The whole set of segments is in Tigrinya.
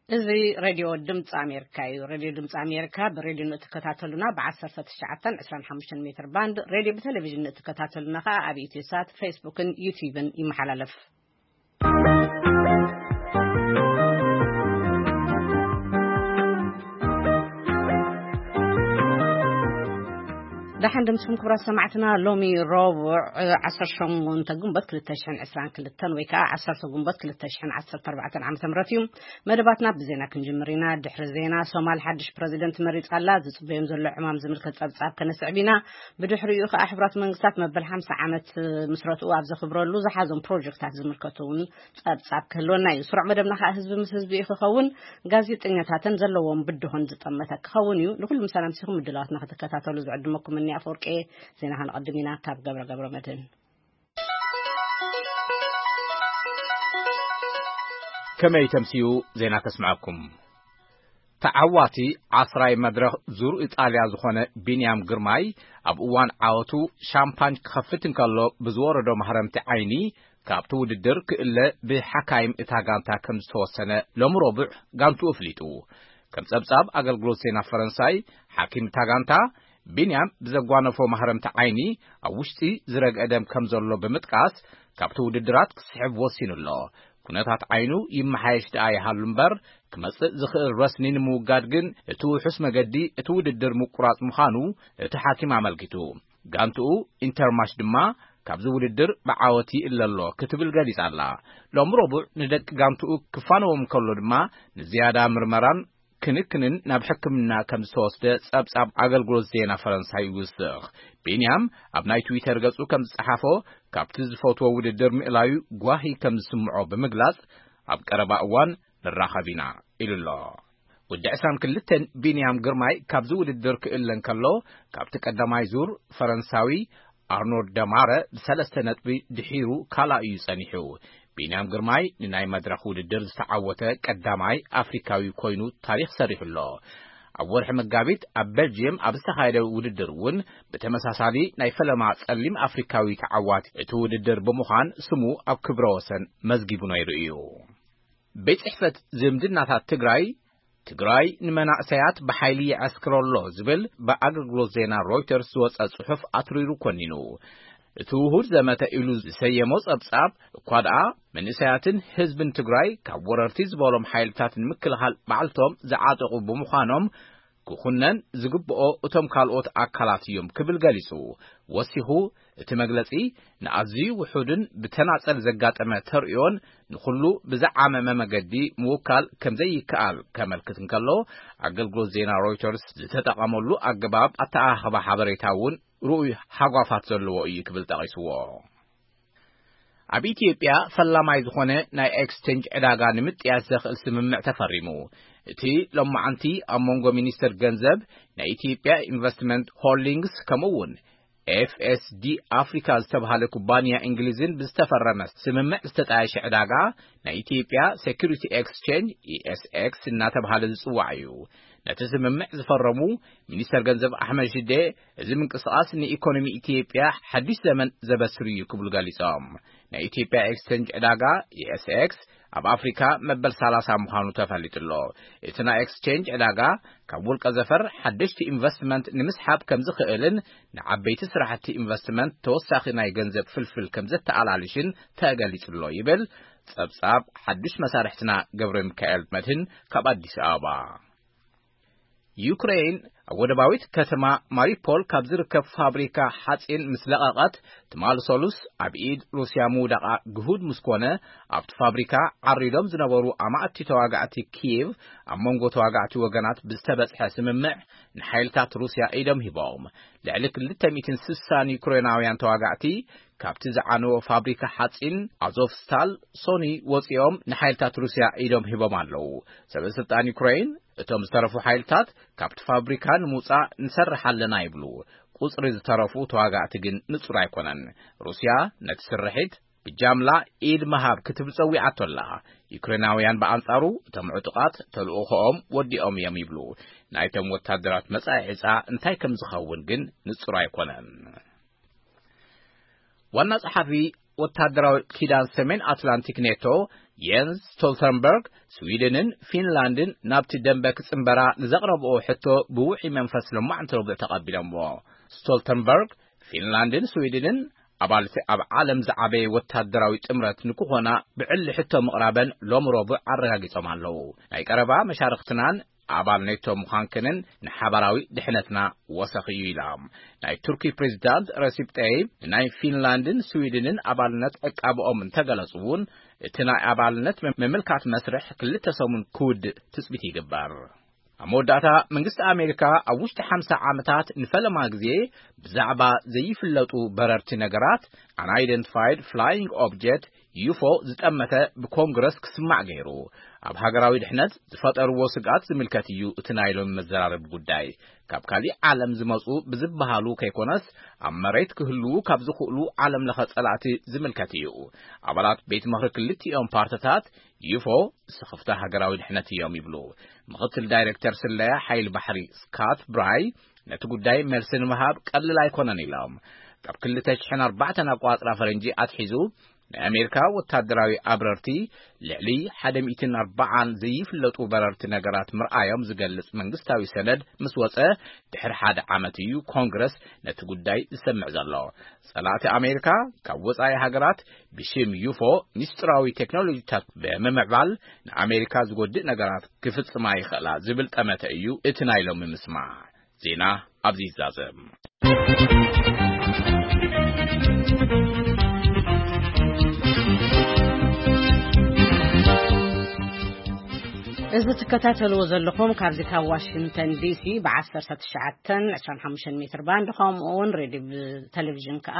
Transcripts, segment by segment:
እዚ ሬድዮ ድምፂ ኣሜሪካ እዩ። ሬድዮ ድምፂ ኣሜሪካ ብሬድዮ ንእትከታተሉና ብ ዓሰርተ ትሽዓተ ዕስራን ሓሙሽተን ሜትር ባንድ፣ ሬድዮ ብቴሌቪዥን ንእትከታተሉና ከዓ ኣብ ኢትዮ ሳት፣ ፌስቡክን ዩቲዩብን ይመሓላለፍ። ደሓን ድምፅኩም ክቡራት ሰማዕትና። ሎሚ ረቡዕ ዓሰርተ ሸሞንተ ግንቦት ክልተ ሽሕን ዕስራን ክልተን ወይ ከዓ ዓሰርተ ግንቦት ክልተ ሽሕን ዓሰርተ ኣርባዕተን ዓመተ ምህረት እዩ። መደባትና ብዜና ክንጅምር ኢና። ድሕሪ ዜና፣ ሶማል ሓድሽ ፕረዚደንት መሪጻ ኣላ። ዝጽበዮም ዘሎ ዕማም ዝምልከት ጸብጻብ ከነስዕብ ኢና። ብድሕሪኡ ከኣ፣ ሕቡራት መንግስታት መበል ሓምሳ ዓመት ምስረትኡ ኣብ ዘኽብረሉ ዝሓዞም ፕሮጀክታት ዝምልከቱ እውን ጸብጻብ ክህልወና እዩ። ስሩዕ መደብና ከኣ ህዝቢ ምስ ህዝቢ እዩ ክኸውን። ጋዜጠኛታትን ዘለዎም ብድሆን ዝጠመተ ክኸውን እዩ። ንኹሉ ምሳና ምሲኹም ምድላዋትና ክትከታተሉ ዝዕድመኩም እኒ ኣፈወርቂ። ዜና ከነቐድም ኢና ካብ ገብረ ገብረ መድህን። ከመይ ተምስዩ ዜና ከስምዐኩም። ተዓዋቲ ዓስራይ መድረኽ ዙር ኢጣልያ ዝኾነ ቢንያም ግርማይ፣ ኣብ እዋን ዓወቱ ሻምፓኝ ክኸፍት እንከሎ ብዝወረዶ ማህረምቲ ዓይኒ፣ ካብቲ ውድድር ክእለ ብሓካይም እታ ጋንታ ከም ዝተወሰነ ሎሚ ረቡዕ ጋንትኡ ኣፍሊጡ። ከም ጸብጻብ ኣገልግሎት ዜና ፈረንሳይ፣ ሓኪም እታ ጋንታ፣ ቢንያም ብዘጓነፎ ማህረምቲ ዓይኒ ኣብ ውሽጢ ዝረግአ ደም ከም ዘሎ ብምጥቃስ፣ ካብቲ ውድድራት ክስሕብ ወሲኑ ኣሎ። ኩነታት ዓይኑ ይመሓየሽ ደኣ ይሃሉ እምበር፣ ክመጽእ ዝኽእል ረስኒ ንምውጋድ ግን እቲ ውሑስ መገዲ እቲ ውድድር ምቁራጽ ምዃኑ እቲ ሓኪም ኣመልኪቱ። ጋንትኡ ኢንተርማሽ ድማ ካብዚ ውድድር ብዓወት ይእለ ኣሎ ክትብል ገሊጻ ኣላ። ሎም ረቡዕ ንደቂ ጋንትኡ ክፋነዎም ከሎ ድማ ንዝያዳ ምርመራን ክንክንን ናብ ሕክምና ከም ዝተወስደ ጸብጻብ ኣገልግሎት ዜና ፈረንሳይ ይውስኽ። ቢንያም ኣብ ናይ ትዊተር ገጹ ከም ዝጸሓፎ፣ ካብቲ ዝፈትዎ ውድድር ምእላዩ ጓሂ ከም ዝስምዖ ብምግላጽ፣ ኣብ ቀረባ እዋን ንራኸብ ኢና ኢሉ ኣሎ። ወዲ ዕስራን ክልተን ቢንያም ግርማይ ካብዚ ውድድር ክእለ እንከሎ፣ ካብቲ ቀዳማይ ዙር ፈረንሳዊ ኣርኖልድ ደማረ ብሰለስተ ነጥቢ ድሒሩ ካልኣይ እዩ ጸኒሑ። ቢንያም ግርማይ ንናይ መድረኽ ውድድር ዝተዓወተ ቀዳማይ ኣፍሪካዊ ኮይኑ ታሪኽ ሰሪሑ ኣሎ። ኣብ ወርሒ መጋቢት ኣብ ቤልጅየም ኣብ ዝተኻየደ ውድድር እውን ብተመሳሳሊ ናይ ፈለማ ጸሊም ኣፍሪካዊ ተዓዋቲ እቲ ውድድር ብምዃን ስሙ ኣብ ክብረ ወሰን መዝጊቡ ነይሩ እዩ። ቤት ጽሕፈት ዝምድናታት ትግራይ፣ ትግራይ ንመናእሰያት ብሓይሊ ይዐስክሮ ኣሎ ዝብል ብኣገልግሎት ዜና ሮይተርስ ዝወጸ ጽሑፍ ኣትሪሩ ኮኒኑ። እቲ ውሁድ ዘመተ ኢሉ ዝሰየሞ ጸብጻብ እኳ ደኣ፣ መንእሰያትን ህዝብን ትግራይ ካብ ወረርቲ ዝበሎም ሓይልታት ንምክልኻል ባዕልቶም ዝዓጠቑ ብምዃኖም፣ ክኹነን ዝግብኦ እቶም ካልኦት ኣካላት እዮም ክብል ገሊጹ። ወሲኹ፣ እቲ መግለጺ ንኣዝዩ ውሑድን ብተናጸል ዘጋጠመ ተርእዮን ንኹሉ ብዝዓመመ መገዲ ምውካል ከም ዘይከኣል ከመልክት እንከሎ፣ ኣገልግሎት ዜና ሮይተርስ ዝተጠቐመሉ ኣገባብ ኣተኣኻኽባ ሓበሬታ እውን ርኡይ ሃጓፋት ዘለዎ እዩ ክብል ጠቒስዎ። ኣብ ኢትዮጵያ ፈላማይ ዝኾነ ናይ ኤክስቼንጅ ዕዳጋ ንምጥያስ ዘኽእል ስምምዕ ተፈሪሙ። እቲ ሎማዓንቲ ኣብ መንጎ ሚኒስትር ገንዘብ ናይ ኢትዮጵያ ኢንቨስትመንት ሆልዲንግስ ከምኡ እውን ኤፍ ኤስ ዲ ኣፍሪካ ዝተባሃለ ኩባንያ እንግሊዝን ብዝተፈረመ ስምምዕ ዝተጣየሸ ዕዳጋ ናይ ኢትዮጵያ ሴኩሪቲ ኤክስቼንጅ፣ ኢ ኤስ ኤክስ፣ እናተባሃለ ዝጽዋዕ እዩ። ነቲ ስምምዕ ዝፈረሙ ሚኒስተር ገንዘብ ኣሕመድ ሽዴ፣ እዚ ምንቅስቓስ ንኢኮኖሚ ኢትዮጵያ ሓድሽ ዘመን ዘበስር እዩ ክብሉ ገሊጾም። ናይ ኢትዮጵያ ኤክስቼንጅ ዕዳጋ፣ ኢ ኤስ ኤክስ፣ ኣብ ኣፍሪካ መበል ሰላሳ ምዃኑ ተፈሊጡ ኣሎ። እቲ ናይ ኤክስቼንጅ ዕዳጋ ካብ ውልቀ ዘፈር ሓደሽቲ ኢንቨስትመንት ንምስሓብ ከም ዝኽእልን ንዓበይቲ ስራሕቲ ኢንቨስትመንት ተወሳኺ ናይ ገንዘብ ፍልፍል ከም ዘተኣላልሽን ተገሊጹ ኣሎ ይብል ጸብጻብ ሓድሽ መሳርሕትና ገብረ ሚካኤል መድህን ካብ ኣዲስ ኣበባ። ዩክሬን ኣብ ወደባዊት ከተማ ማሪፖል ካብ ዝርከብ ፋብሪካ ሓጺን ምስ ለቐቐት፣ ትማሊ ሰሉስ ኣብ ኢድ ሩስያ ምውዳቓ ግሁድ ምስ ኮነ፣ ኣብቲ ፋብሪካ ዓሪዶም ዝነበሩ ኣማእቲ ተዋጋእቲ ኪየቭ ኣብ መንጎ ተዋጋእቲ ወገናት ብዝተበጽሐ ስምምዕ ንሓይልታት ሩስያ ኢዶም ሂቦም። ልዕሊ ክልተ ሚእትን ስሳን ዩክሬናውያን ተዋጋእቲ ካብቲ ዝዓነወ ፋብሪካ ሓጺን ኣዞቭስታል ሶኒ ወጺኦም ንሓይልታት ሩስያ ኢዶም ሂቦም ኣለዉ። ሰበ ስልጣን ዩክሬን፣ እቶም ዝተረፉ ሓይልታት ካብቲ ፋብሪካ ንምውጻእ ንሰርሕ ኣለና ይብሉ። ቁጽሪ ዝተረፉ ተዋጋእቲ ግን ንጹር ኣይኮነን። ሩስያ ነቲ ስርሒት ብጃምላ ኢድ ምሃብ ክትብል ጸዊዓቶ ኣላ። ዩክሬናውያን ብኣንጻሩ፣ እቶም ዕጡቓት ተልእኾኦም ወዲኦም እዮም ይብሉ። ናይቶም ወታደራት መጻኢ ዕጻ እንታይ ከም ዝኸውን ግን ንጹር ኣይኮነን። ዋና ጸሓፊ ወታደራዊ ኪዳን ሰሜን ኣትላንቲክ ኔቶ የንስ ስቶልተንበርግ፣ ስዊድንን ፊንላንድን ናብቲ ደንበ ክጽንበራ ንዘቕረብኦ ሕቶ ብውዑይ መንፈስ ለማዕንቲ ረቡዕ ተቐቢሎምዎ። ስቶልተንበርግ፣ ፊንላንድን ስዊድንን ኣባልቲ ኣብ ዓለም ዝዓበየ ወታደራዊ ጥምረት ንክኾና ብዕሊ ሕቶ ምቕራበን ሎሚ ረቡዕ ኣረጋጊጾም ኣለዉ። ናይ ቀረባ መሻርኽትናን ኣባል ኔቶ ምዃንክንን ንሓባራዊ ድሕነትና ወሰኽ እዩ ኢላ። ናይ ቱርኪ ፕሬዚዳንት ረሲፕ ጠይብ ንናይ ፊንላንድን ስዊድንን ኣባልነት ዕቃብኦም እንተገለጹ እውን፣ እቲ ናይ ኣባልነት ምምልካት መስርሕ ክልተ ሰሙን ክውድእ ትጽቢት ይግበር። ኣብ መወዳእታ፣ መንግስቲ ኣሜሪካ ኣብ ውሽጢ ሓምሳ ዓመታት ንፈለማ ግዜ ብዛዕባ ዘይፍለጡ በረርቲ ነገራት፣ Unidentified Flying Object፣ ዩፎ ዝጠመተ ብኮንግረስ ክስማዕ ገይሩ። ኣብ ሃገራዊ ድሕነት ዝፈጠርዎ ስግኣት ዝምልከት እዩ እቲ ናይ ሎሚ መዘራረቢ ጉዳይ። ካብ ካሊእ ዓለም ዝመጹ ብዝበሃሉ ከይኮነስ፣ ኣብ መሬት ክህልዉ ካብ ዝኽእሉ ዓለም ለኸ ጸላእቲ ዝምልከት እዩ። ኣባላት ቤት ምኽሪ ክልቲኦም ፓርትታት ዩፎ ስኽፍታ ሃገራዊ ድሕነት እዮም ይብሉ። ምኽትል ዳይሬክተር ስለያ ሓይሊ ባሕሪ ስካት ብራይ ነቲ ጉዳይ መልሲ ንምሃብ ቀልል ኣይኮነን ኢሎም። ካብ ክልተ ሽሕን ኣርባዕተን ኣቋጽራ ፈረንጂ ኣትሒዙ ናይ ኣሜሪካ ወታደራዊ ኣብረርቲ ልዕሊ ሓደ ሚእትን ኣርባዓን ዘይፍለጡ በረርቲ ነገራት ምርኣዮም ዝገልጽ መንግስታዊ ሰነድ ምስ ወጸ ድሕሪ ሓደ ዓመት እዩ ኮንግረስ ነቲ ጉዳይ ዝሰምዕ ዘሎ። ጸላእቲ ኣሜሪካ ካብ ወጻኢ ሃገራት ብሽም ዩፎ ሚስጥራዊ ቴክኖሎጂታት ብምምዕባል ንኣሜሪካ ዝጎድእ ነገራት ክፍጽማ ይኽእላ ዝብል ጠመተ እዩ እቲ ናይ ሎሚ ምስማዕ። ዜና ኣብዚ ይዛዘም። እዚ ትከታተልዎ ዘለኹም ካብዚ ካብ ዋሽንግተን ዲሲ ብ1925 ሜትር ባንድ፣ ከምኡ እውን ሬድዮ ብቴሌቪዥን ከኣ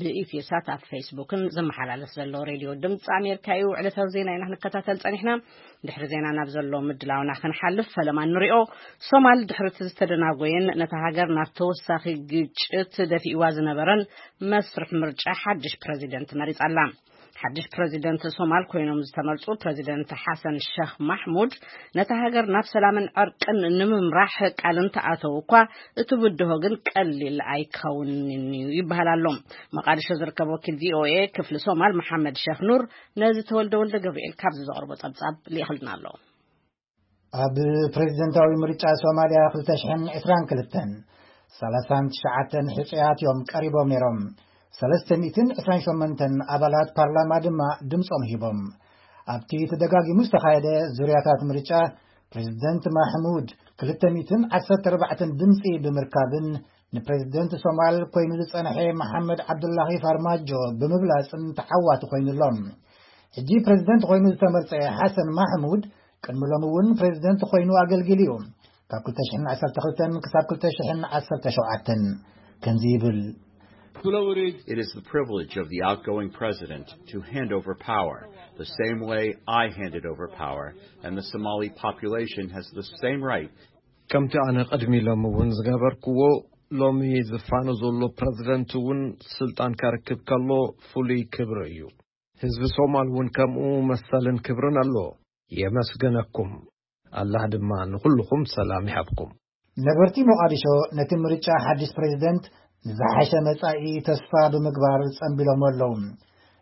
ብኢትዮሳት ኣብ ፌስቡክን ዝመሓላለፍ ዘሎ ሬድዮ ድምፂ ኣሜሪካ እዩ። ዕለታዊ ዜና ኢና ክንከታተል ጸኒሕና። ድሕሪ ዜና ናብ ዘሎ ምድላውና ክንሓልፍ፣ ፈለማ ንሪኦ። ሶማል ድሕሪ እቲ ዝተደናጎየን ነታ ሃገር ናብ ተወሳኺ ግጭት ደፊእዋ ዝነበረን መስርሕ ምርጫ ሓድሽ ፕረዚደንት መሪጻ ኣላ። ሓድሽ ፕረዚደንት ሶማል ኮይኖም ዝተመርጹ ፕረዚደንት ሓሰን ሸኽ ማሕሙድ ነታ ሃገር ናብ ሰላምን ዕርቅን ንምምራሕ ቃል እንተኣተው እኳ፣ እቲ ብድሆ ግን ቀሊል ኣይከውንን እዩ ይበሃል ኣሎ። መቃድሾ ዝርከብ ወኪል ቪኦኤ ክፍሊ ሶማል መሓመድ ሸኽ ኑር ነዚ ተወልደ ወልደ ገብርኤል ካብዚ ዘቕርቦ ጸብጻብ ልኢኽልና ኣሎ። ኣብ ፕሬዚደንታዊ ምርጫ ሶማልያ ክልተ ሽሕን ዕስራን ክልተን ሰላሳን ትሽዓተን ሕጹያት እዮም ቀሪቦም ነይሮም። ሰለስተ ሚእትን ዕስራን ሸሞንተን ኣባላት ፓርላማ ድማ ድምጾም ሂቦም። ኣብቲ ተደጋጊሙ ዝተኻየደ ዙርያታት ምርጫ፣ ፕሬዚደንት ማሕሙድ ክልተ ሚእትን ዓሰርተ ኣርባዕተን ድምጺ ብምርካብን ንፕሬዚደንት ሶማል ኮይኑ ዝጸንሐ መሓመድ ዓብዱላሂ ፋርማጆ ብምብላጽን ተዓዋቲ ኮይኑሎም። ሕጂ ፕሬዚደንት ኮይኑ ዝተመርጸ ሓሰን ማሕሙድ ቅድሚ ሎሚ እውን ፕሬዚደንት ኮይኑ ኣገልጊሉ እዩ። ካብ ክልተ ሽሕን ዓሰርተ ክልተን ክሳብ ክልተ ሽሕን ዓሰርተ ሸውዓተን ከምዚ ይብል። It is the privilege of the outgoing president to hand over power the same way I handed over power, and the Somali population has the same right ከምቲ ኣነ ቅድሚ ሎሚ እውን ዝገበርክዎ፣ ሎሚ ዝፋኖ ዘሎ ፕረዚደንት እውን ስልጣን ከርክብ ከሎ ፍሉይ ክብሪ እዩ። ህዝቢ ሶማል እውን ከምኡ መሰልን ክብርን ኣለዎ። የመስግነኩም። ኣላህ ድማ ንኹልኹም ሰላም ይሃብኩም። ነበርቲ ሞቓዲሾ ነቲ ምርጫ ሓድሽ ፕሬዚደንት ንዝሓሸ መጻኢ ተስፋ ብምግባር ጸንቢሎሞ ኣለዉ።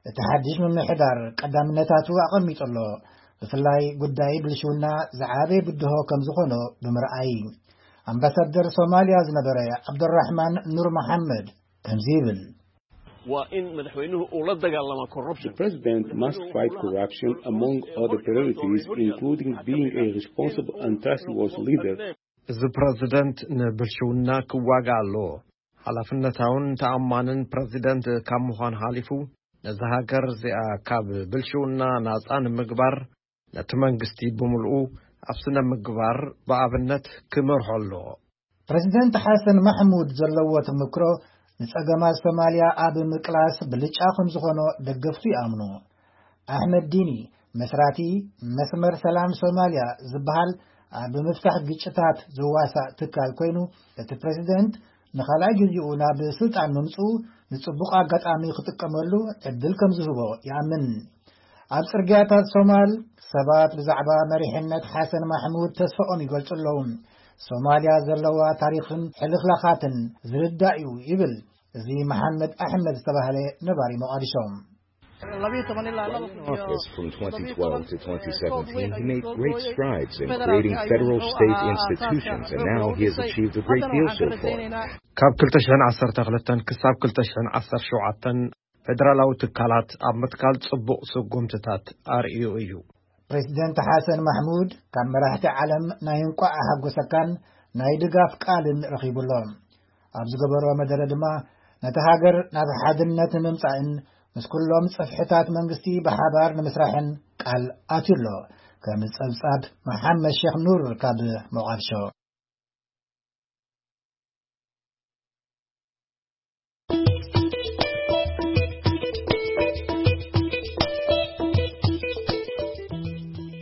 እቲ ሓድሽ ምምሕዳር ቀዳምነታቱ ኣቐሚጡ ኣሎ። ብፍላይ ጉዳይ ብልሽውና ዝዓበየ ብድሆ ከም ዝኾኖ ብምርኣይ። ኣምባሳደር ሶማልያ ዝነበረ ዓብዱራሕማን ኑር መሓመድ ከምዚ ይብል። Waa in madaxweynuhu uu la dagaallama corruption. The president must fight corruption, among other priorities, including being a responsible and trustworthy leader. እዚ ፕረዚደንት ንብልሽውና ክዋጋእ ኣለዎ። ሓላፍነታውን ተኣማንን ፕረዚደንት ካብ ምዃን ሓሊፉ፣ ነዛ ሃገር እዚኣ ካብ ብልሽውና ናጻ ንምግባር፣ ነቲ መንግስቲ ብምልኡ ኣብ ስነ ምግባር ብኣብነት ክመርሖ ኣለዎ። ፕረዚደንት ሓሰን ማሕሙድ ዘለዎ ተመክሮ ንጸገማት ሶማልያ ኣብ ምቅላስ ብልጫ ከም ዝኾኖ ደገፍቱ ይኣምኑ። ኣሕመድ ዲኒ፣ መስራቲ መስመር ሰላም ሶማልያ ዝበሃል ኣብ ምፍታሕ ግጭታት ዝዋሳእ ትካል ኮይኑ፣ እቲ ፕረዚደንት ንኻልኣይ ግዜኡ ናብ ስልጣን ምምጽኡ ንጽቡቕ ኣጋጣሚ ክጥቀመሉ ዕድል ከም ዝህቦ ይኣምን። ኣብ ጽርግያታት ሶማል ሰባት ብዛዕባ መሪሕነት ሓሰን ማሕሙድ ተስፋኦም ይገልጹ ኣለዉ። ሶማልያ ዘለዋ ታሪኽን ሕልኽላኻትን ዝርዳእ እዩ ይብል እዚ መሓመድ ኣሕመድ ዝተባህለ ነባሪ ሞቓዲሾ። Office from twenty twelve to twenty seventeen, he made great strides in creating federal state institutions, and now he has achieved a great deal so far. ካብ ክልተ ሽሕን ዓሰርተ ክልተን ክሳብ ክልተ ሽሕን ዓሰርተ ሸውዓተን ፌደራላዊ ትካላት ኣብ ምትካል ጽቡቕ ስጉምትታት ኣርእዩ እዩ። ፕሬዚደንት ሓሰን ማሕሙድ ካብ መራሕቲ ዓለም ናይ እንቋዕ ሓጎሰካን ናይ ድጋፍ ቃልን ረኺቡ ኣሎ። ኣብ ዝገበሮ መደረ ድማ ነቲ ሃገር ናብ ሓድነት ንምምጻእን ምስ ኩሎም ጽፍሕታት መንግስቲ ብሓባር ንምስራሕን ቃል ኣትዩ ኣሎ። ከም ጸብጻብ መሓመድ ሼክ ኑር ካብ ሞቓድሾ።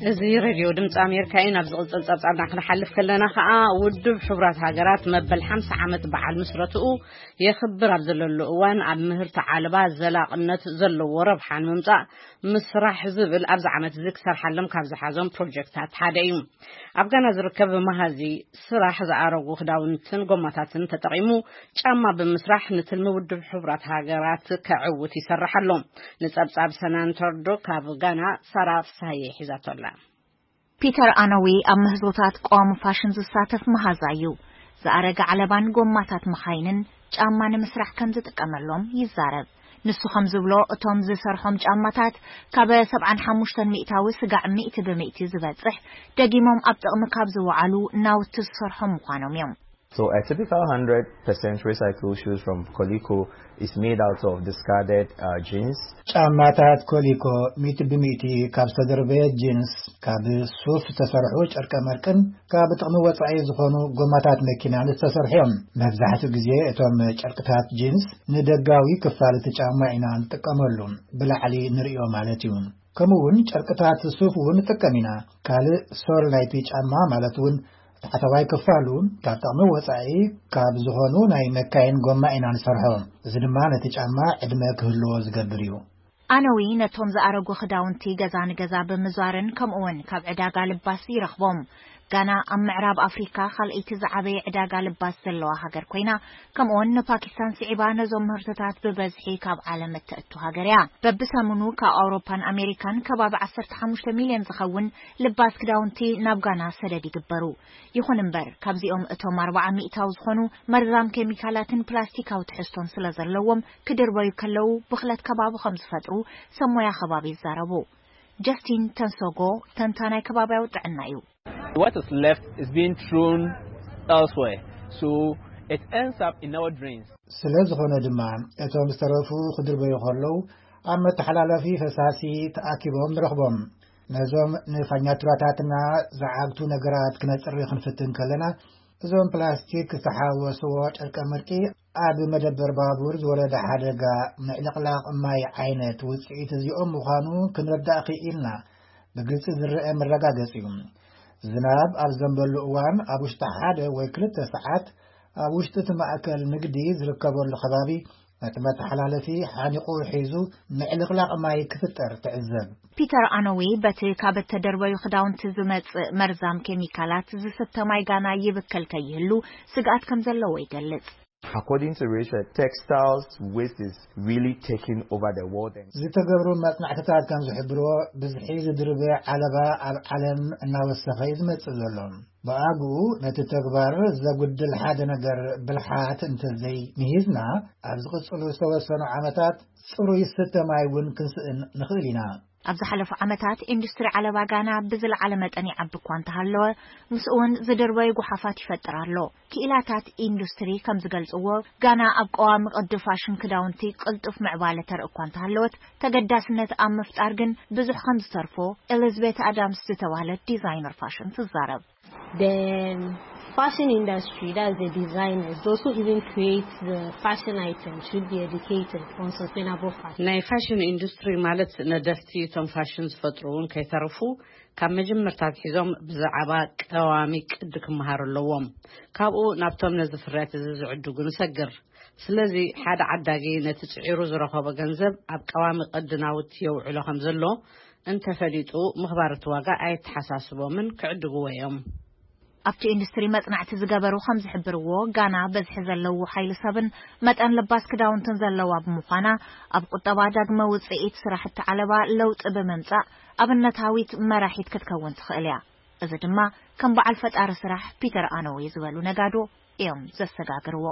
እዚ ሬድዮ ድምፂ ኣሜሪካ እዩ። ናብ ዝቕፅል ፀብፃብና ክንሓልፍ ከለና ከዓ፣ ውድብ ሕቡራት ሃገራት መበል ሓምሳ ዓመት በዓል ምስረትኡ የኽብር ኣብ ዘለሉ እዋን፣ ኣብ ምህርቲ ዓለባ ዘላቕነት ዘለዎ ረብሓ ንምምፃእ ምስራሕ ዝብል ኣብዚ ዓመት እዚ ክሰርሓሎም ካብ ዝሓዞም ፕሮጀክታት ሓደ እዩ። ኣብ ጋና ዝርከብ መሃዚ ስራሕ ዝኣረጉ ክዳውንትን ጎማታትን ተጠቒሙ ጫማ ብምስራሕ ንትልሚ ውድብ ሕቡራት ሃገራት ከዕውት ይሰርሕ ኣሎ። ንጸብጻብ ሰናን ተርዶ ካብ ጋና ሳራ ፍስሃየ ሒዛቶ ኣላ። ፒተር ኣነዊ ኣብ ምህዞታት ቀዋሚ ፋሽን ዝሳተፍ መሃዛ እዩ። ዝኣረገ ዓለባን ጎማታት መኻይንን ጫማ ንምስራሕ ከም ዝጥቀመሎም ይዛረብ። ንሱ ከም ዝብሎ፣ እቶም ዝሰርሖም ጫማታት ካብ ሰብዓን ሓሙሽተን ሚእታዊ ስጋዕ ሚእቲ ብሚእቲ ዝበጽሕ፣ ደጊሞም ኣብ ጥቕሚ ካብ ዝወዓሉ ናውቲ ዝሰርሖም ምዃኖም እዮም። So a typical hundred percent recycled shoes from Coleco is made out of discarded uh, jeans. ጫማታት ኮሊኮ ሚእቲ ብሚእቲ ካብ ዝተደርበየ ጂንስ፣ ካብ ሱፍ ዝተሰርሑ ጨርቀ መርቅን ካብ ጥቕሚ ወጻኢ ዝኾኑ ጎማታት መኪናን ዝተሰርሑ እዮም። መብዛሕትኡ ግዜ እቶም ጨርቅታት ጂንስ ንደጋዊ ክፋል እቲ ጫማ ኢና ንጥቀመሉ፣ ብላዕሊ ንርእዮ ማለት እዩ። ከምኡ እውን ጨርቅታት ሱፍ እውን ንጥቀም ኢና። ካልእ ሶል ናይቲ ጫማ ማለት እውን ታሕተዋይ ክፋሉ ካብ ጥቕሚ ወጻኢ ካብ ዝኾኑ ናይ መካይን ጎማ ኢና ንሰርሖ። እዚ ድማ ነቲ ጫማ ዕድመ ክህልዎ ዝገብር እዩ። ኣነዊ ነቶም ዝኣረጉ ክዳውንቲ ገዛ ንገዛ ብምዟርን ከምኡውን ካብ ዕዳጋ ልባስ ይረኽቦም። ጋና ኣብ ምዕራብ ኣፍሪካ ካልኣይቲ ዝዓበየ ዕዳጋ ልባስ ዘለዋ ሃገር ኮይና፣ ከምኡውን ንፓኪስታን ስዒባ ነዞም ምህርትታት ብበዝሒ ካብ ዓለም እተእቱ ሃገር እያ። በብሰሙኑ ካብ ኣውሮፓን ኣሜሪካን ከባቢ ዓሰርተ ሓሙሽተ ሚልዮን ዝኸውን ልባስ ክዳውንቲ ናብ ጋና ሰደድ ይግበሩ። ይኹን እምበር፣ ካብዚኦም እቶም ኣርባዓ ሚእታዊ ዝኾኑ መርዛም ኬሚካላትን ፕላስቲካዊ ትሕዝቶን ስለ ዘለዎም፣ ክድርበዩ ከለዉ ብኽለት ከባቢ ከም ዝፈጥሩ ሰብ ሞያ ከባቢ ይዛረቡ። ጀስቲን ተንሶጎ ተንታናይ ከባብያዊ ጥዕና እዩ። What is left is being thrown elsewhere, so it ends up in our drains. ስለ ዝኾነ ድማ፣ እቶም ዝተረፉ ክድርበዩ ከለዉ ኣብ መተሓላለፊ ፈሳሲ ተኣኪቦም ንረኽቦም። ነዞም ንፋኛቱራታትና ዝዓግቱ ነገራት ክነጽሪ ክንፍትን ከለና፣ እዞም ፕላስቲክ ዝተሓወስዎ ጨርቀ መርቂ ኣብ መደበር ባቡር ዝወረደ ሓደጋ ምዕልቕላቕ ማይ ዓይነት ውጽኢት እዚኦም ምዃኑ ክንርዳእ ክኢልና። ብግልጺ ዝረአ መረጋገጺ እዩ። ዝናብ ኣብ ዘንበሉ እዋን ኣብ ውሽጢ ሓደ ወይ ክልተ ሰዓት ኣብ ውሽጢ እቲ ማእከል ንግዲ ዝርከበሉ ከባቢ ነቲ መተሓላለፊ ሓኒቑ ሒዙ ምዕልቕላቕ ማይ ክፍጠር ትዕዘብ። ፒተር ኣኖዊ በቲ ካብ እተደርበዩ ክዳውንቲ ዝመጽእ መርዛም ኬሚካላት ዝስተ ማይ ጋና ይብከል ከይህሉ ስግኣት ከም ዘለዎ ይገልጽ። According to research, textiles waste is really taking over the world. And ዝተገብሩ መጽናዕትታት ከም ዝሕብርዎ፣ ብዝሒ ዝድርበ ዓለባ ኣብ ዓለም እናወሰኸ እዩ ዝመጽእ ዘሎ። ብኣግኡ ነቲ ተግባር ዘጉድል ሓደ ነገር ብልሓት እንተዘይ ምሂዝና፣ ኣብ ዝቕጽሉ ዝተወሰኑ ዓመታት ጽሩይ ዝስተ ማይ እውን ክንስእን ንኽእል ኢና። ኣብ ዝሓለፉ ዓመታት ኢንዱስትሪ ዓለባ ጋና ብዝለዓለ መጠን ይዓቢ እኳ እንተሃለወ፣ ምስኡ እውን ዝድርበዩ ጓሓፋት ይፈጥር ኣሎ። ክኢላታት ኢንዱስትሪ ከም ዝገልጽዎ፣ ጋና ኣብ ቀዋሚ ቅዲ ፋሽን ክዳውንቲ ቅልጡፍ ምዕባለ ተርኢ እኳ እንተሃለወት፣ ተገዳስነት ኣብ ምፍጣር ግን ብዙሕ ከም ዝተርፎ ኤሊዝቤት ኣዳምስ ዝተባህለት ዲዛይነር ፋሽን ትዛረብ። The fashion industry, that's the designers, those who even create the fashion items should be educated on sustainable fashion. ናይ ፋሽን ኢንዱስትሪ ማለት ነደፍቲ እቶም ፋሽን ዝፈጥሩ እውን ከይተርፉ ካብ መጀመርታ ኣትሒዞም ብዛዕባ ቀዋሚ ቅዲ ክመሃሩ ኣለዎም። ካብኡ ናብቶም ነዚ ፍርያት እዚ ዝዕድጉ ንሰግር። ስለዚ ሓደ ዓዳጊ ነቲ ጽዒሩ ዝረኸቦ ገንዘብ ኣብ ቀዋሚ ቅዲ ናውቲ የውዕሎ ከም ዘሎ እንተፈሊጡ ምኽባር እቲ ዋጋ ኣየተሓሳስቦምን ክዕድግዎ እዮም። ኣብቲ ኢንዱስትሪ መጽናዕቲ ዝገበሩ ከም ዝሕብርዎ፣ ጋና በዝሒ ዘለዎ ሓይሊ ሰብን መጠን ለባስ ክዳውንትን ዘለዋ ብምዃና፣ ኣብ ቁጠባ ዳግመ ውጽኢት ስራሕቲ ዓለባ ለውጢ ብምምጻእ ኣብነታዊት መራሒት ክትከውን ትኽእል እያ። እዚ ድማ ከም በዓል ፈጣሪ ስራሕ ፒተር ኣኖዌ ዝበሉ ነጋዶ እዮም ዘሰጋግርዎ።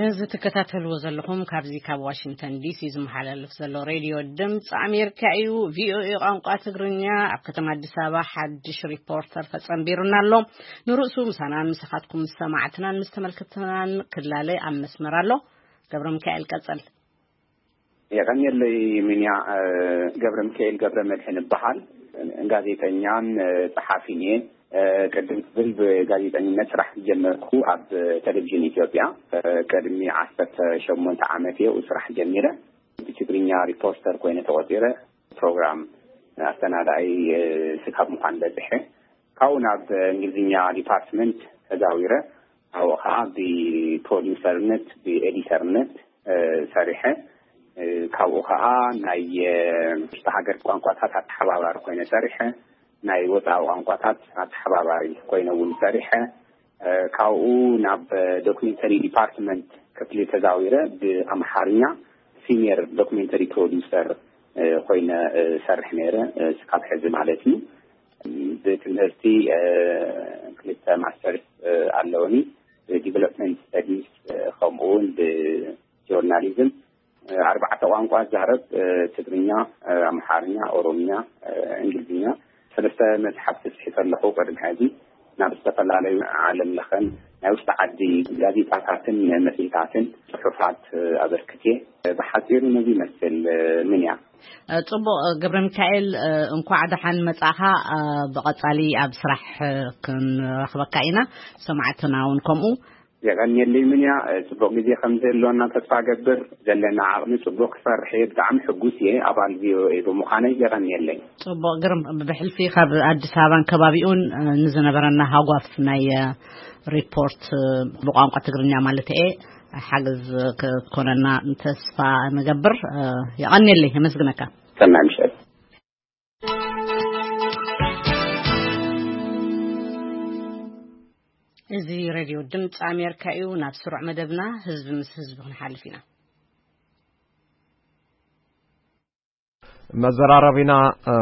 እዚ ትከታተልዎ ዘለኹም ካብዚ ካብ ዋሽንግተን ዲሲ ዝመሓላለፍ ዘሎ ሬድዮ ድምፂ ኣሜሪካ እዩ። ቪኦኤ ቋንቋ ትግርኛ ኣብ ከተማ ኣዲስ ኣበባ ሓድሽ ሪፖርተር ተጸንቢሩና ኣሎ። ንርእሱ ምሳናን ምሳኻትኩም ምስ ሰማዕትናን ምስ ተመልከትናን ክላለ ኣብ መስመር ኣሎ። ገብረ ሚካኤል ቀጸል። የቐንየለይ ሚንያ። እ፣ ገብረ ሚካኤል ገብረ መድሕን እበሃል። ጋዜጠኛን፣ እ፣ ጸሓፊን እየ። እ፣ ቅድም ክብል ብጋዜጠኝነት ስራሕ ዝጀመርኩ ኣብ ቴሌቪዥን ኢትዮጵያ፣ እ፣ ቅድሚ ዓሰርተ ሸሞንተ ዓመት እየ ስራሕ ጀሚረ። ብትግርኛ ሪፖርተር ኮይነ ተቖጺረ፣ ፕሮግራም ኣሰናዳኢ፣ እ፣ ስካብ ምዃን በጽሐ። ካብኡ ናብ እንግሊዝኛ ዲፓርትመንት ተዛዊረ። ኣብኡ ኸዓ ብፕሮዲውሰርነት፣ ብኤዲተርነት፣ እ፣ ሰሪሐ። እ፣ ካብኡ ኸዓ ናይ፣ እ፣ ውሽጢ ሃገር ቋንቋታት ኣተሓባባሪ ኮይነ ሰሪሐ። ናይ ወፃኢ ቋንቋታት ኣተሓባባሪ ኮይነ እውን ሰሪሐ። እ፣ ካብኡ ናብ ዶክሜንተሪ ዲፓርትመንት ክፍሊ ተዛዊረ ብኣምሓርኛ ሲኒየር ዶክሜንተሪ ፕሮዲውሰር፣ እ፣ ኮይነ፣ እ፣ ሰርሕ ነይረ፣ እ፣ ስካብ ሕዚ ማለት እዩ። ብትምህርቲ፣ እ፣ ክልተ ማስተርስ፣ እ፣ ኣለውኒ፣ ብዲቨሎፕመንት ስተዲስ፣ እ፣ ከምኡ እውን ብጆርናሊዝም። እ፣ ኣርባዕተ ቋንቋ እዛረብ፣ እ፣ ትግርኛ፣ እ፣ ኣምሓርኛ፣ ኦሮምኛ፣ እ፣ እንግሊዝኛ። ሰለስተ መጽሓፍቲ ጽሒፈ ኣለኹ። ቅድሚ ሕዚ ናብ ዝተፈላለዩ ዓለም ለኸን ናይ ውሽጢ ዓዲ ጋዜጣታትን መጽሔታትን ጽሑፋት፣ እ፣ ኣበርክትየ። ብሓጺሩ ነዚ ይመስል፣ እ፣ ምንያ። እ፣ ጽቡቕ፣ እ፣ ገብረ ሚካኤል፣ እ፣ እንኳዕ ደሓን መጻእኻ። እ፣ ብቐጻሊ ኣብ ስራሕ፣ እ፣ ክንረኽበካ ኢና፣ ሰማዕትና እውን ከምኡ። የቐንየለይ ምንያ፣ እ፣ ጽቡቕ ግዜ ከም ዘሎና ተስፋ ገብር። ዘለና ዓቕሚ ጽቡቕ ክሰርሕ እየ። ብጣዕሚ ሕጉስ እየ ኣባል ቪኦኤ ብምዃነይ። የቐንየለይ። ጽቡቕ ግርም፣ ብሕልፊ ካብ ኣዲስ ኣበባን ከባቢኡን፣ እ፣ ንዝነበረና ሃጓፍ ናይ፣ እ፣ ሪፖርት፣ እ፣ ብቋንቋ ትግርኛ ማለት እየ፣ ሓገዝ ክትኮነና ተስፋ ንገብር። እ፣ የቐንየለይ፣ የመስግነካ። ሰናይ ምሸት። እዚ ሬድዮ ድምፂ ኣሜሪካ እዩ። ናብ ስሩዕ መደብና ህዝቢ ምስ ህዝቢ ክንሓልፍ ኢና። መዘራረቢና፣ እ፣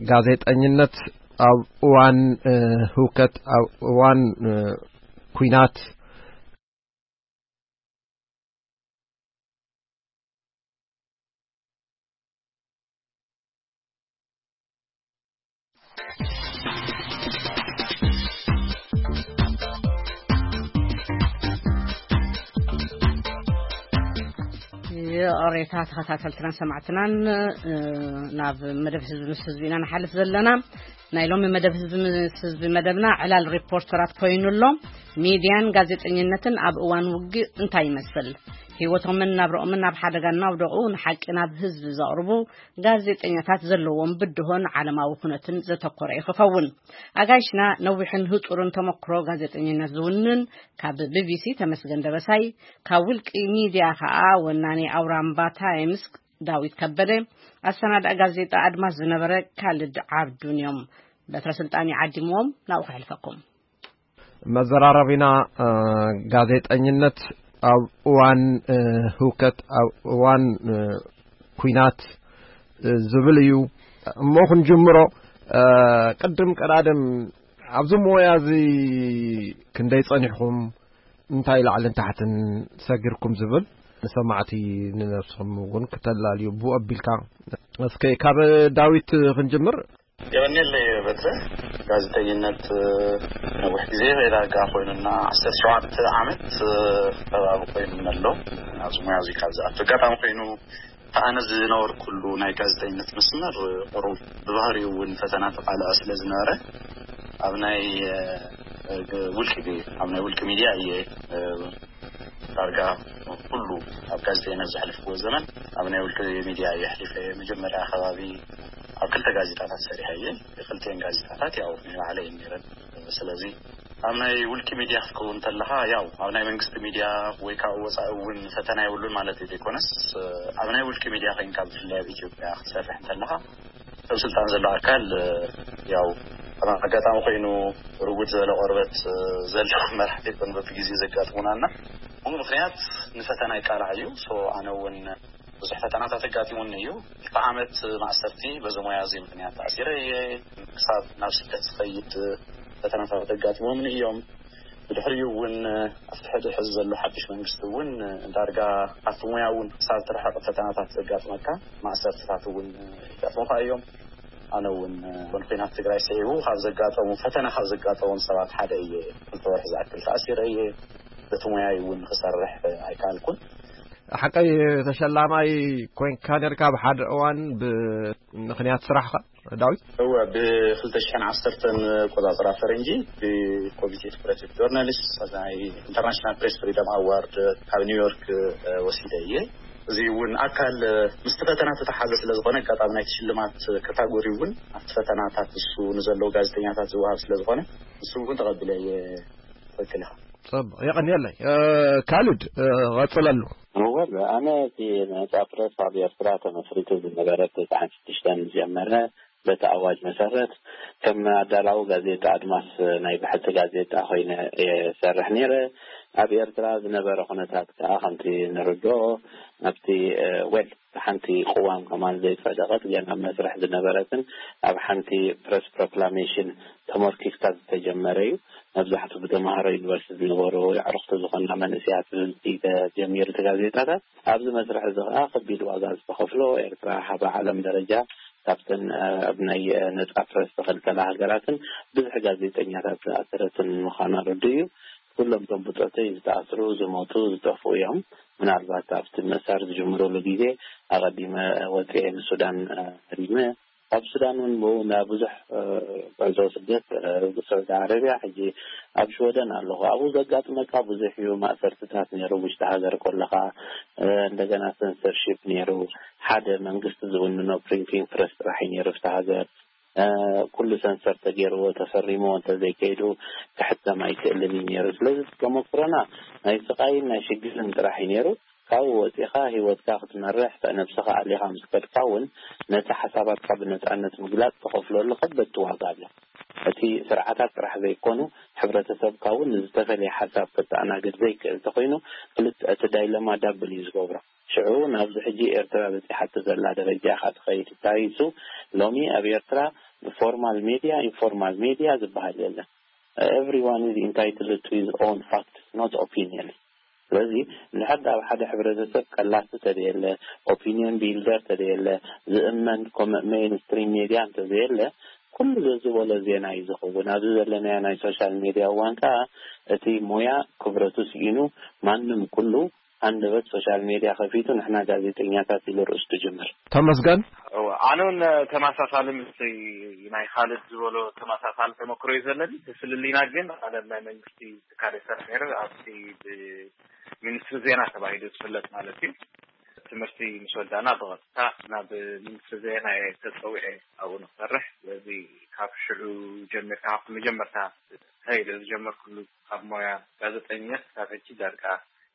ጋዜጠኝነት ኣብ እዋን፣ እ፣ ህውከት፣ ኣብ እዋን፣ እ፣ ኲናት ይቕሬታ ተኸታተልትና ሰማዕትናን፣ እ፣ ናብ መደብ ህዝቢ ምስ ህዝቢ ኢና ንሓልፍ ዘለና። ናይ ሎሚ መደብ ህዝቢ ምስ ህዝቢ መደብና ዕላል ሪፖርተራት ኮይኑ ኣሎ። ሚድያን ጋዜጠኝነትን ኣብ እዋን ውግእ እንታይ ይመስል? ህይወቶምን ናብረኦምን ናብ ሓደጋ እናውደቑ ንሓቂ ናብ ህዝቢ ዘቕርቡ ጋዜጠኛታት ዘለዎም ብድሆን ዓለማዊ ኩነትን ዘተኮረ እዩ ክኸውን። ኣጋይሽና ነዊሕን ህጹርን ተመክሮ ጋዜጠኝነት ዝውንን፣ ካብ ቢቢሲ ተመስገን ደበሳይ፣ ካብ ውልቂ ሚድያ ከኣ ወናኒ ኣውራምባ ታይምስ ዳዊት ከበደ፣ ኣሰናዳኢ ጋዜጣ ኣድማስ ዝነበረ ካልድ ዓብዱን እዮም። በትረ ስልጣን ይዓዲምዎም፣ ናብኡ ከሕልፈኩም። መዘራረቢና፣ እ፣ ጋዜጠኝነት ኣብ እዋን፣ እ፣ ህውከት፣ ኣብ እዋን፣ እ፣ ኲናት፣ እ፣ ዝብል እዩ። እሞ ክንጅምሮ፣ እ፣ ቅድም ቀዳድም ኣብዚ ሞያ እዚ ክንደይ ጸኒሕኩም፣ እንታይ ላዕልን ታሕትን ሰጊርኩም ዝብል ንሰማዕቲ ንነብስኹም እውን ክተላልዩ ብኡ ኣቢልካ። እስከ ካብ ዳዊት ክንጅምር። የቐንየለይ በትረ። ጋዜጠኝነት፣ እ፣ ነዊሕ ግዜ ዳርጋ ኮይኑና፣ ዓሰርተ ሸውዓተ ዓመት፣ እ፣ ከባቢ ኮይኑና ኣሎ። ኣብዚ ሞያ እዚ ካብ ዝኣቱ ኣጋጣሚ ኮይኑ፣ ኣነ ዝነበርኩሉ ናይ ጋዜጠኝነት መስመር፣ እ፣ ቁሩብ ብባህሪኡ እውን ፈተና ተቃልዐ ስለ ዝነበረ፣ ኣብ ናይ፣ እ፣ እ፣ ውልቂ፣ ኣብ ናይ ውልቂ ሚድያ እየ፣ እ፣ ዳርጋ ኩሉ ኣብ ጋዜጠይነት ዘሕለፍኩዎ ዘመን ኣብ ናይ ውልቂ ሚድያ እየ ኣሕሊፈ። መጀመርያ ከባቢ ኣብ ክልተ ጋዜጣታት ሰሪሐ እየ። ክልቲኤን ጋዜጣታት ያው ናይ ባዕለይ እየን ነይረን። ስለዚ ኣብ ናይ ውልቂ ሚድያ ክትከውን እንተለኻ፣ ያው ኣብ ናይ መንግስቲ ሚድያ ወይ ካብ ወፃኢ እውን ፈተና የብሉን ማለት እዩ ዘይኮነስ፣ ኣብ ናይ ውልቂ ሚድያ ኮይንካ፣ ብፍላይ ኣብ ኢትዮጵያ ክትሰርሕ እንተለኻ፣ ሰብ ስልጣን ዘሎ ኣካል፣ ያው ኣብ ኣጋጣሚ ኮይኑ ርጉድ ዝበለ ቆርበት ዘለዎ መራሕቲ ይኮን በብግዜኡ ዘጋጥሙና እና፣ ብኡ ምክንያት ንፈተና ይቃላዕ እዩ። ሶ ኣነ እውን ብዙሕ ፈተናታት ኣጋጢሙኒ እዩ። ክልተ ዓመት ማእሰርቲ በዚ ሞያ እዚ ምክንያት ተኣሲረ እየ። ክሳብ ናብ ስደት ዝኸይድ ፈተናታት ኣጋጢሞምኒ እዮም። ብድሕሪኡ እውን ኣብቲ ሕዚ ሕዚ ዘሎ ሓድሽ መንግስቲ እውን ዳርጋ ኣብቲ ሞያ እውን ክሳብ ትርሕቕ ፈተናታት ዘጋጥመካ፣ ማእሰርትታት እውን ይጋጥሙኻ እዮም። ኣነ እውን እውን ኩናት ትግራይ ስዒቡ ካብ ዘጋጠሙ ፈተና ካብ ዘጋጠሞም ሰባት ሓደ እየ። ክልተ ወርሒ ዝኣክል ተኣሲረ እየ። በቲ ሞያይ እውን ክሰርሕ ኣይከኣልኩን። ሓቀይ ተሸላማይ ኮይንካ ነርካ ብሓደ እዋን ብምኽንያት ስራሕኻ ዳዊት? እወ፣ ብ2010 ኣቆጻጽራ ፈረንጂ ብኮሚቴ ፕሮጀክት ጆርናሊስት ናይ ኢንተርናሽናል ፕሬስ ፍሪደም ኣዋርድ ካብ ኒውዮርክ፣ እ፣ ወሲደ እየ። እዚ እውን ኣካል፣ እ፣ ምስቲ ፈተና ዝተሓዘ ስለ ዝኾነ፣ ኣጋጣሚ ናይቲ ሽልማት ካታጎሪ እውን ኣብቲ ፈተናታት እሱ ንዘለዉ ጋዜጠኛታት ዝወሃብ ስለ ዝኾነ፣ ንሱ እውን ተቐቢለ እየ። ትኽክል ኢኻ። ጽቡቕ፣ የቐንየለይ። እ፣ ካልድ፣ እ፣ ቐጽለሉ። እወ፣ ኣነ እቲ ነጻ ፕረስ ኣብ ኤርትራ ተመስሪቱ ዝነበረ ብ96 ዝጀመረ፣ በቲ ኣዋጅ መሰረት ከም ኣዳላዊ ጋዜጣ ኣድማስ ናይ ብሕቲ ጋዜጣ ኮይነ እየ ዝሰርሕ ነይረ። ኣብ ኤርትራ ዝነበረ ኩነታት ከኣ ከምቲ ንርድኦ ኣብቲ፣ እ፣ ዌል ሓንቲ ቅዋም ከማን ዘይጸደቐት ገና ኣብ መስርሕ ዝነበረትን ኣብ ሓንቲ ፕረስ ፕሮክላሜሽን ተመርኪስካ ዝተጀመረ እዩ። መብዛሕትኡ ብተምሃሮ ዩኒቨርሲቲ ዝነበሩ ኣዕሩኽቲ ዝኾና መንእሰያት ብብዝሒ ተጀሚሩ እቲ ጋዜጣታት። ኣብዚ መስርሕ እዚ ከኣ ከቢድ ዋጋ ዝተኸፍሎ፣ ኤርትራ ኣብ ዓለም ደረጃ ካብተን፣ እ፣ ኣብ ናይ፣ እ፣ ነጻ ፕረስ ዝኽልከላ ሃገራትን ብዙሕ ጋዜጠኛታት ዝኣሰረትን ምዃና ርዱእ እዩ። ኩሎም እቶም ብጾተይ ዝተኣስሩ፣ ዝሞቱ፣ ዝጠፍኡ እዮም። ምናልባት ኣብቲ ምእሳር ዝጅምሩሉ ግዜ ኣቐዲመ ወጺኤ ንሱዳን፣ እ፣ ሃዲመ። ኣብ ሱዳን እውን ብኡ እንዳ ብዙሕ፣ እ፣ ጉዕዞ ስደት፣ እ፣ ስዑዲ ዓረብያ፣ ሕጂ ኣብ ሽወደን ኣለኹ። ኣብኡ ዘጋጥመካ ብዙሕ እዩ። ማእሰርትታት ነይሩ፣ ውሽጢ ሃገር ከለኻ፣ እ፣ እንደገና ሰንሰርሺፕ ነይሩ። ሓደ መንግስቲ ዝውንኖ ፕሪንቲንግ ፕረስ ጥራሕ እዩ ነይሩ ኣብቲ ሃገር። እ፣ ኩሉ ሰንሰር ተገይርዎ ተፈሪምዎ እንተዘይከይዱ ክሕተም ኣይክእልን እዩ ነይሩ። ስለዚ ተመክሮና ናይ ስቓይን ናይ ሽግርን ጥራሕ እዩ ነይሩ። ካብኡ ወፂኻ ህይወትካ ክትመርሕ፣ ነብስኻ ኣሊኻ ምስ ከድካ እውን ነቲ ሓሳባትካ ብነፃነት ምግላፅ ተኸፍለሉ ከበድቲ ዋጋ ኣሎ። እቲ ስርዓታት ጥራሕ ዘይኮኑ፣ ሕብረተሰብካ እውን ንዝተፈለየ ሓሳብ ከተኣናግድ ዘይክእል እንተኾይኑ፣ ክልተ፣ እቲ ዳይለማ ዳብል እዩ ዝገብሮ። ሽዑ ናብዚ ሕጂ ኤርትራ በፂሓቶ ዘላ ደረጃ ኢኻ ትኸይድ። እንታይ እሱ? ሎሚ ኣብ ኤርትራ ፎርማል ሜድያ፣ ኢንፎርማል ሜድያ ዝበሃል የለን። Everyone is entitled to his own facts, not opinion። ስለዚ እንድሕር ኣብ ሓደ ሕብረተሰብ ቀላሲ ተደየለ፣ ኦፒኒየን ቢልደር ተደየለ፣ ዝእመን ኮመ-፣ ሜይንስትሪም ሜድያ እንተዘየለ፣ ኩሉ ዘዝበሎ ዜና እዩ ዝኸውን። ኣብዚ ዘለናዮ ናይ ሶሻል ሜድያ እዋን ከኣ እቲ ሞያ ክብረቱ ስኢኑ፣ ማንም ኩሉ ሃንደበት ሶሻል ሜድያ ከፊቱ ንሕና ጋዜጠኛታት ኢሉ ርእሱ ትጅምር። ተመስገን። እወ፣ ኣነ እውን ተመሳሳሊ ምስቲ ናይ ካልድ ዝበሎ ተመሳሳሊ ተመክሮ እዩ ዘለኒ። እቲ ፍልልይና ግን ኣነ ናይ መንግስቲ ትካል ይሰርሕ ነይረ፣ ኣብቲ ብሚኒስትሪ ዜና ተባሂሉ ዝፍለጥ ማለት እዩ። ትምህርቲ ምስ ወዳእና ብቐጥታ ናብ ሚኒስትሪ ዜና እየ ተጸዊዐ ኣብኡ ንክሰርሕ። ስለዚ ካብ ሽዑ ጀሚርካ፣ ካብቲ መጀመርታ ተይለ ዝጀመርኩሉ ኣብ ሞያ ጋዜጠኛ ክሳብ ሕጂ ዳርጋ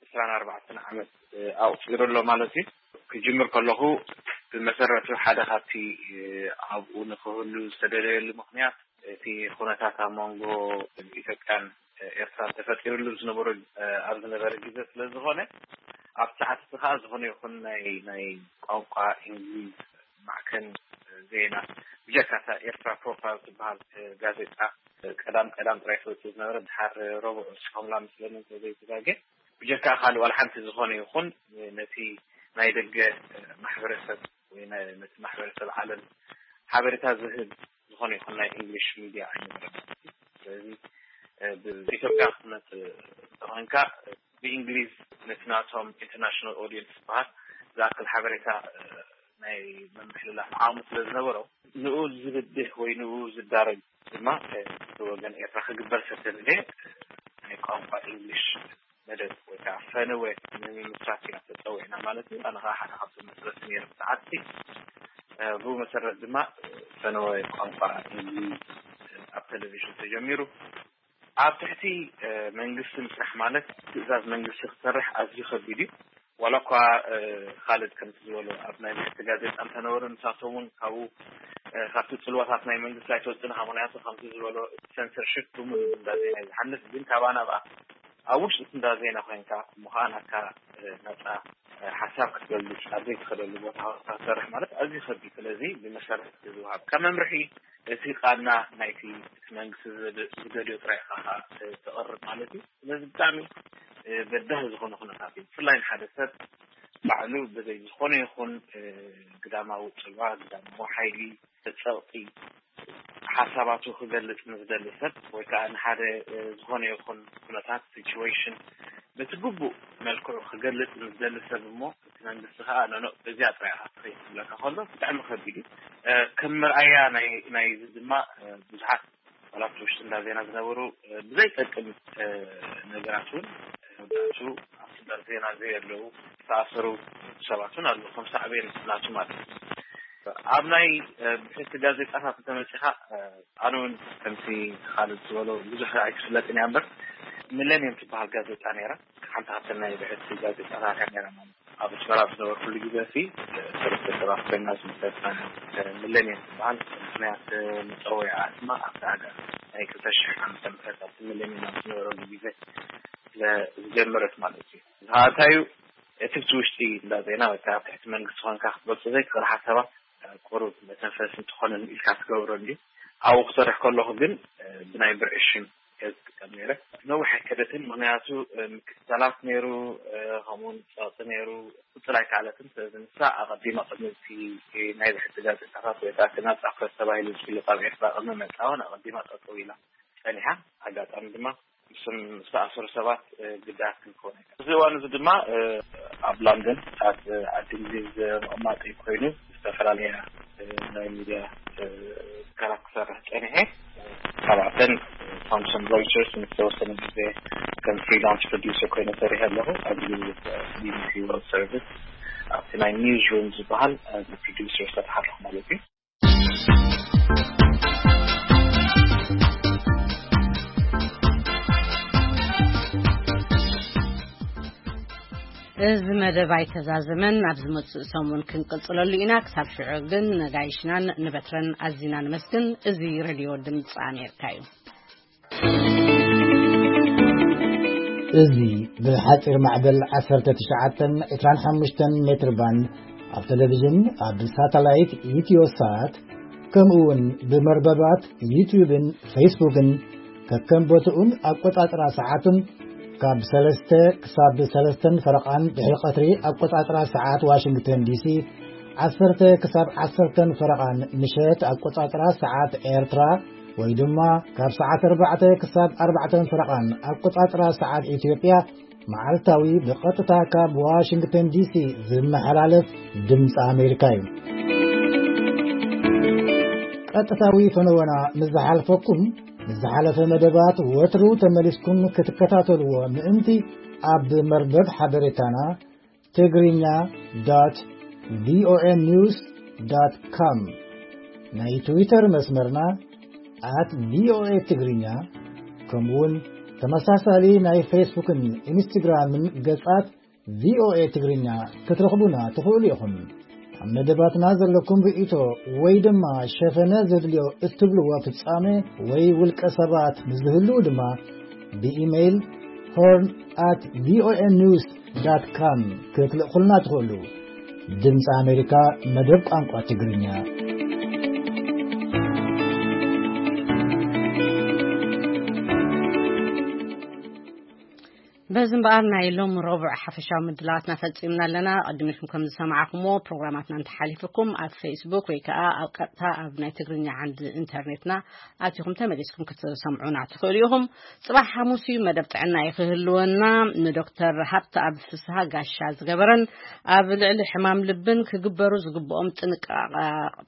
ዕስራን ኣርባዕተን ዓመት፣ እ፣ ኣቑጺሩ ኣሎ ማለት እዩ። ክጅምር ከለኹ ብመሰረቱ ሓደ ካብቲ፣ እ፣ ኣብኡ ንክህሉ ዝተደለየሉ ምኽንያት እቲ ኩነታት ኣብ መንጎ ኢትዮጵያን ኤርትራን ተፈጢሩሉ ዝነበሮ፣ እ፣ ኣብ ዝነበረ ግዜ ስለ ዝኾነ፣ ኣብቲ ሰዓት እቲ ከኣ ዝኾነ ይኹን ናይ፣ ናይ ቋንቋ እንግሊዝ ማዕከን ዜና፣ ብጀካ እታ ኤርትራ ፕሮፋይል ትበሃል፣ እ፣ ጋዜጣ፣ እ፣ ቀዳም ቀዳም ጥራይ ትወጽእ ዝነበረ፣ ድሓር ረቡዕ ወጺኦምላ መስለኒ እንተዘይተጋጌ። ብጀካ ካልእ ዋላ ሓንቲ ዝኾነ ይኹን ነቲ ናይ ደገ ማሕበረሰብ ወይ ናይ፣ ነቲ ማሕበረሰብ ዓለም ሓበሬታ ዝህብ ዝኾነ ይኹን ናይ እንግሊሽ ሚድያ ኣይነበረን ማለት እዩ። ስለዚ፣ እ፣ ብኢትዮጵያ ክትመጽእ እንተኾይንካ፣ ብእንግሊዝ ነቲ ናቶም ኢንተርናሽናል ኦዲየንስ ዝበሃል ዝኣክል ሓበሬታ፣ እ፣ ናይ ምምሕልላፍ ዓቕሚ ስለ ዝነበሮ፣ ንኡ ዝብድህ ወይ ንኡ ዝዳረግ ድማ፣ እ፣ ብወገን ኤርትራ ክግበር ዝተደልየ ናይ ቋንቋ እንግሊሽ መደብ ወይ ከዓ ፈነወ ንምምስራት ኢና ተፀዊዕና ማለት እዩ። ኣነ ከዓ ሓደ ካብቶም መስረቲ ነይረ ብሰዓትቲ። እ፣ ብኡ መሰረት ድማ ፈነወ ቋንቋ እንግሊዝ ኣብ ቴሌቪዥን ተጀሚሩ። ኣብ ትሕቲ መንግስቲ ምስራሕ ማለት ትእዛዝ መንግስቲ ክሰርሕ ኣዝዩ ከቢድ እዩ። ዋላ እኳ ካልድ ከምቲ ዝበሎ ኣብ ናይ ምሕቲ ጋዜጣ እንተነበሩ፣ ንሳቶም እውን ካብኡ ካብቲ ፅልዋታት ናይ መንግስቲ ኣይተወፅእን። ካብ ምክንያቱ ከምቲ ዝበሎ ሰንሰርሽፕ ብሙሉ እንዳዜና እዩ ዝሓልፍ። ግን ካብ ኣናብኣ ኣብ ውሽጢ እቲ እንዳዜና ኮይንካ እሞ ከዓ ናካ ነፃ ሓሳብ ክትገልፅ ኣብ ዘይትኽእለሉ ቦታ ክትሰርሕ ማለት ኣዝዩ ከቢድ። ስለዚ ብመሰረት ዝወሃብ ካብ መምርሒ እቲ ቃና ናይቲ እቲ መንግስቲ ዝደልዮ ጥራይ ኢኻ ተቕርብ ማለት እዩ። ስለዚ ብጣዕሚ በዳህ ዝኾነ ኩነታት እዩ። ብፍላይ ንሓደ ሰብ ባዕሉ ብዘይ ዝኾነ ይኹን ግዳማዊ ፅልዋ፣ ግዳማዊ ሓይሊ፣ ተፀቕጢ ሓሳባቱ ክገልፅ ንዝደሊ ሰብ ወይ ከዓ ንሓደ ዝኾነ ይኹን ኩነታት ሲቹዌሽን በቲ ግቡእ መልክዑ ክገልፅ ንዝደሊ ሰብ እሞ እቲ መንግስቲ ከዓ ኖኖ እዚኣ ጥራይ ኢኻ ትኽእል ክብለካ ከሎ ብጣዕሚ ከቢድ እዩ። ከም መርኣያ ናይዚ ድማ ብዙሓት ኣባላት ውሽጢ እንዳ ዜና ዝነበሩ ብዘይጠቅም ነገራት እውን መብዛሕቱ ኣብቲ እንዳ ዜና ዘየለዉ ዝተኣሰሩ ሰባት እውን ኣለዉ፣ ከም ሳዕቤን ናቱ ማለት እዩ። ኣብ ናይ ብሕቲ ጋዜጣታት እንተመፂኻ፣ ኣነ እውን ከምቲ ካልድ ዝበሎ ብዙሕ ኣይክፍለጥን እያ እምበር፣ ሚሌኒየም ትበሃል ጋዜጣ ነይራ። ሓንቲ ካብተን ናይ ብሕቲ ጋዜጣታት እያ ነይራ ማለት እዩ። ኣብ ኣስመራ ኣብ ዝነበርኩሉ ግዜ ሲ ሰለስተ ሰባት ኮይና ዝምሰረትና ሚሌኒየም ትበሃል። ምክንያት መፀውዒኣ ድማ ኣብቲ ሃገር ናይ ክልተ ሽሕ ዓመተ ምህረት ኣብቲ ሚሌኒየም ኣብ ዝነበረሉ ግዜ ስለ ዝጀመረት ማለት እዩ። ዝሃታዩ እቲ ብቲ ውሽጢ እንዳ ዜና ወይ ከዓ ኣብ ትሕቲ መንግስቲ ኮንካ ክትገልፆ ዘይትኽእል ሓሳባት ቁሩብ መተንፈሲ እንትኾነኒ ኢልካ ትገብሮ እንዲ ኣብኡ ክሰርሕ ከለኹ ግን ብናይ ብርዒ ሽም እየ ዝጥቀም ነይረ። ነዊሕ ኣይከደትን፣ ምክንያቱ ምክትታላት ነይሩ፣ ከምኡውን ፀቕጢ ነይሩ። ክፅል ኣይከኣለትን። ስለዚ ንሳ ኣቐዲማ ቅድሚ እቲ ናይ ብሕቲ ጋዜጣታት ወይ ከዓ እቲ ናፃ ፕረስ ተባሂሉ ዝፍለጥ ኣብ ኤርትራ ቅድሚ ምእታወን ኣቐዲማ ጠጠው ኢላ ፀኒሓ። ኣጋጣሚ ድማ ምስም ዝተኣሰሩ ሰባት ግዳያት ክንከውን ኣይከኣልን። እዚ እዋን እዚ ድማ ኣብ ላንደን ኣብ ዓዲ እንግሊዝ ምቕማጥ ኮይኑ ዝተፈላለያ ናይ ሚድያ ትካላት ክሰርሕ ፀኒሐ። ካብኣተን ቶምሰን ሮይተርስ ንዝተወሰነ ግዜ ከም ፍሪላንስ ፕሮዲውሰር ኮይነ ሰሪሐ ኣለኹ። ኣብዚ ቢቢሲ ወርልድ ሰርቪስ ኣብቲ ናይ ኒውዝ ሩም ዝበሃል ፕሮዲውሰር ሰርሕ ኣለኹ ማለት እዩ። እዚ መደብ ኣይተዛዘመን፣ ኣብ ዝመጽእ ሰሙን ክንቅጽለሉ ኢና። ክሳብ ሽዑ ግን ነጋይሽናን ንበትረን ኣዚና ንመስግን። እዚ ሬድዮ ድምጺ ኣሜሪካ እዩ። እዚ ብሓጺር ማዕበል ዓሰርተ ትሽዓተን ዕስራን ሓሙሽተን ሜትር ባንድ ኣብ ቴሌቪዥን፣ ኣብ ሳተላይት ኢትዮሳት፣ ከምኡ እውን ብመርበባት ዩትዩብን ፌስቡክን ከከም ቦትኡን ኣቆጻጽራ ሰዓቱን ካብ ሰለስተ ክሳብ ሰለስተን ፈረቓን ድሕሪ ቀትሪ ኣቆጻጽራ ሰዓት ዋሽንግተን ዲሲ፣ ዓሰርተ ክሳብ ዓሰርተን ፈረቓን ምሸት ኣቆጻጽራ ሰዓት ኤርትራ፣ ወይ ድማ ካብ ሰዓት ኣርባዕተ ክሳብ ኣርባዕተን ፈረቓን ኣቆጻጽራ ሰዓት ኢትዮጵያ፣ መዓልታዊ ብቐጥታ ካብ ዋሽንግተን ዲሲ ዝመሓላለፍ ድምፂ ኣሜሪካ እዩ። ቀጥታዊ ፈነወና ምስ ዝሓልፈኩም፣ ምስ ዝሓለፈ መደባት ወትሩ ተመሊስኩም ክትከታተልዎ ምእንቲ፣ ኣብ መርበብ ሓበሬታና ትግርኛ ዶት ቪኦኤ ኒውስ ዶት ኮም፣ ናይ ትዊተር መስመርና ኣት ቪኦኤ ትግርኛ፣ ከምኡውን ተመሳሳሊ ናይ ፌስቡክን ኢንስትግራምን ገጻት ቪኦኤ ትግርኛ ክትረኽቡና ትኽእሉ ኢኹም። ኣብ መደባትና ዘለኩም ርእይቶ ወይ ድማ ሸፈነ ዘድልዮ እትብልዎ ፍጻመ ወይ ውልቀ ሰባት ምስ ዝህልዉ ድማ ብኢሜይል ሆርን ኣት ቪኦኤ ኒውስ ዳት ካም ክትልእኹልና ትኽእሉ። ድምፂ ኣሜሪካ መደብ ቋንቋ ትግርኛ። በዚ እምበኣር ናይ ሎም ረቡዕ ሓፈሻዊ ምድላዋትና ፈጺምና ኣለና። ቅድሚኹም ከም ዝሰማዕኩሞ ፕሮግራማትና እንተሓሊፍኩም ኣብ ፌስቡክ ወይ ከዓ ኣብ ቀጥታ ኣብ ናይ ትግርኛ ዓንዲ ኢንተርኔትና ኣቲኹም ተመሊስኩም ክትሰምዑና ትኽእሉ ኢኹም። ጽባሕ ሓሙስ እዩ፣ መደብ ጥዕና እዩ ክህልወና። ንዶክተር ሃብተኣብ ፍስሃ ጋሻ ዝገበረን ኣብ ልዕሊ ሕማም ልብን ክግበሩ ዝግብኦም ጥንቃ-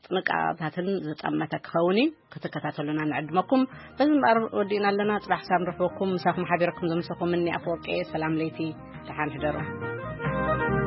ጥንቃቐታትን ዝጠመተ ክኸውን እዩ። ክትከታተሉና ንዕድመኩም። በዚ እምበኣር ወዲእና ኣለና። ጽባሕ ክሳብ ንረኽበኩም ምሳኹም ሓቢረኩም ዘምሰኹም እኒ ኣፈወርቂ። ሰላም ለይቲ፣ ደሓን ሕደሩ።